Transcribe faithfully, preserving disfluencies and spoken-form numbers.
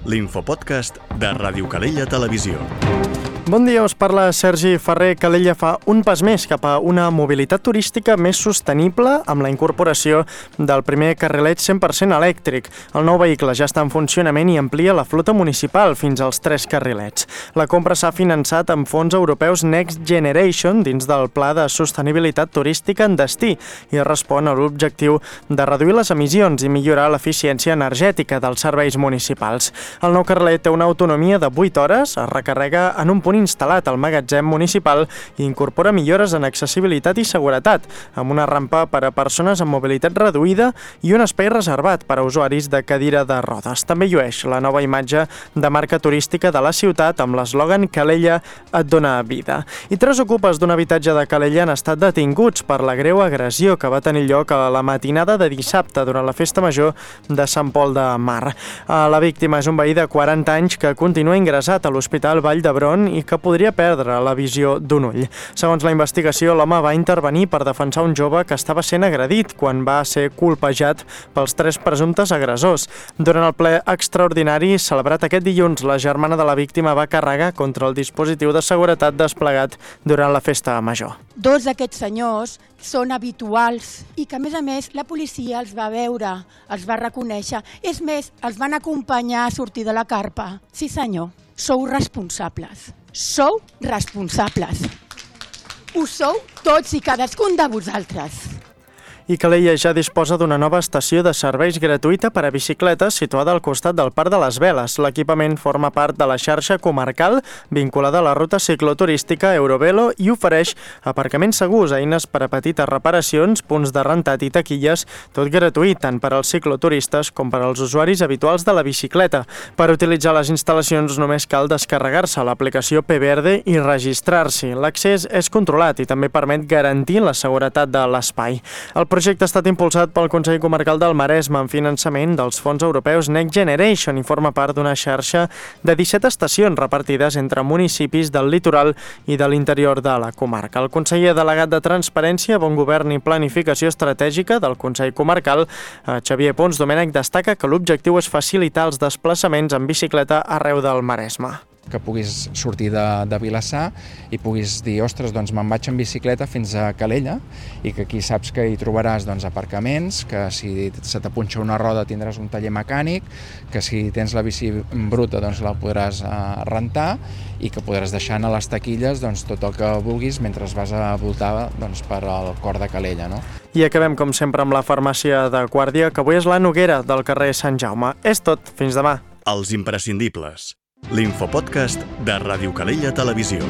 l'infopodcast de Ràdio Calella Televisió. Bon dia, us parla Sergi Ferrer. Calella fa un pas més cap a una mobilitat turística més sostenible amb la incorporació del primer carrilet cent per cent elèctric. El nou vehicle ja està en funcionament i amplia la flota municipal fins als tres carrilets. La compra s'ha finançat amb fons europeus Next Generation dins del Pla de Sostenibilitat Turística en Destí i respon a l'objectiu de reduir les emissions i millorar l'eficiència energètica dels serveis municipals. El nou carrilet té una autonomia de vuit hores, es recarrega en un punt instal·lat al magatzem municipal i incorpora millores en accessibilitat i seguretat, amb una rampa per a persones amb mobilitat reduïda i un espai reservat per a usuaris de cadira de rodes. També llueix la nova imatge de marca turística de la ciutat amb l'eslògan Calella et dona vida. I tres ocupes d'un habitatge de Calella han estat detinguts per la greu agressió que va tenir lloc a la matinada de dissabte durant la festa major de Sant Pol de Mar. La víctima és un veí de quaranta anys que continua ingressat a l'Hospital Vall d'Hebron i que podria perdre la visió d'un ull. Segons la investigació, l'home va intervenir per defensar un jove que estava sent agredit quan va ser colpejat pels tres presumptes agressors. Durant el ple extraordinari celebrat aquest dilluns, la germana de la víctima va carregar contra el dispositiu de seguretat desplegat durant la festa major. Dos d'aquests senyors són habituals i que, a més a més, la policia els va veure, els va reconèixer. És més, els van acompanyar a sortir de la carpa. Sí, senyor, sou responsables. Sou responsables. Ho sou tots i cadascun de vosaltres. I Calella ja disposa d'una nova estació de serveis gratuïta per a bicicletes situada al costat del Parc de les Veles. L'equipament forma part de la xarxa comarcal vinculada a la ruta cicloturística Eurovelo i ofereix aparcaments segurs, eines per a petites reparacions, punts de rentat i taquilles, tot gratuït tant per als cicloturistes com per als usuaris habituals de la bicicleta. Per utilitzar les instal·lacions només cal descarregar-se l'aplicació P Verde i registrar-s'hi. L'accés és controlat i també permet garantir la seguretat de l'espai. El El projecte ha estat impulsat pel Consell Comarcal del Maresme amb finançament dels fons europeus Next Generation i forma part d'una xarxa de disset estacions repartides entre municipis del litoral i de l'interior de la comarca. El conseller delegat de Transparència, Bon Govern i Planificació Estratègica del Consell Comarcal, Xavier Pons Domènech, destaca que l'objectiu és facilitar els desplaçaments en bicicleta arreu del Maresme. Que puguis sortir de, de Vilassar i puguis dir, ostres, doncs me'n vaig en bicicleta fins a Calella i que aquí saps que hi trobaràs doncs, aparcaments, que si se t'apunxa una roda tindràs un taller mecànic, que si tens la bici bruta doncs la podràs eh, rentar i que podràs deixar a les taquilles doncs, tot el que vulguis mentre vas a voltar doncs, per al cor de Calella. No? I acabem, com sempre, amb la farmàcia de Guàrdia, que avui és la Noguera del carrer Sant Jaume. És tot. Fins demà. Els imprescindibles. L'infopodcast de Ràdio Calella Televisió.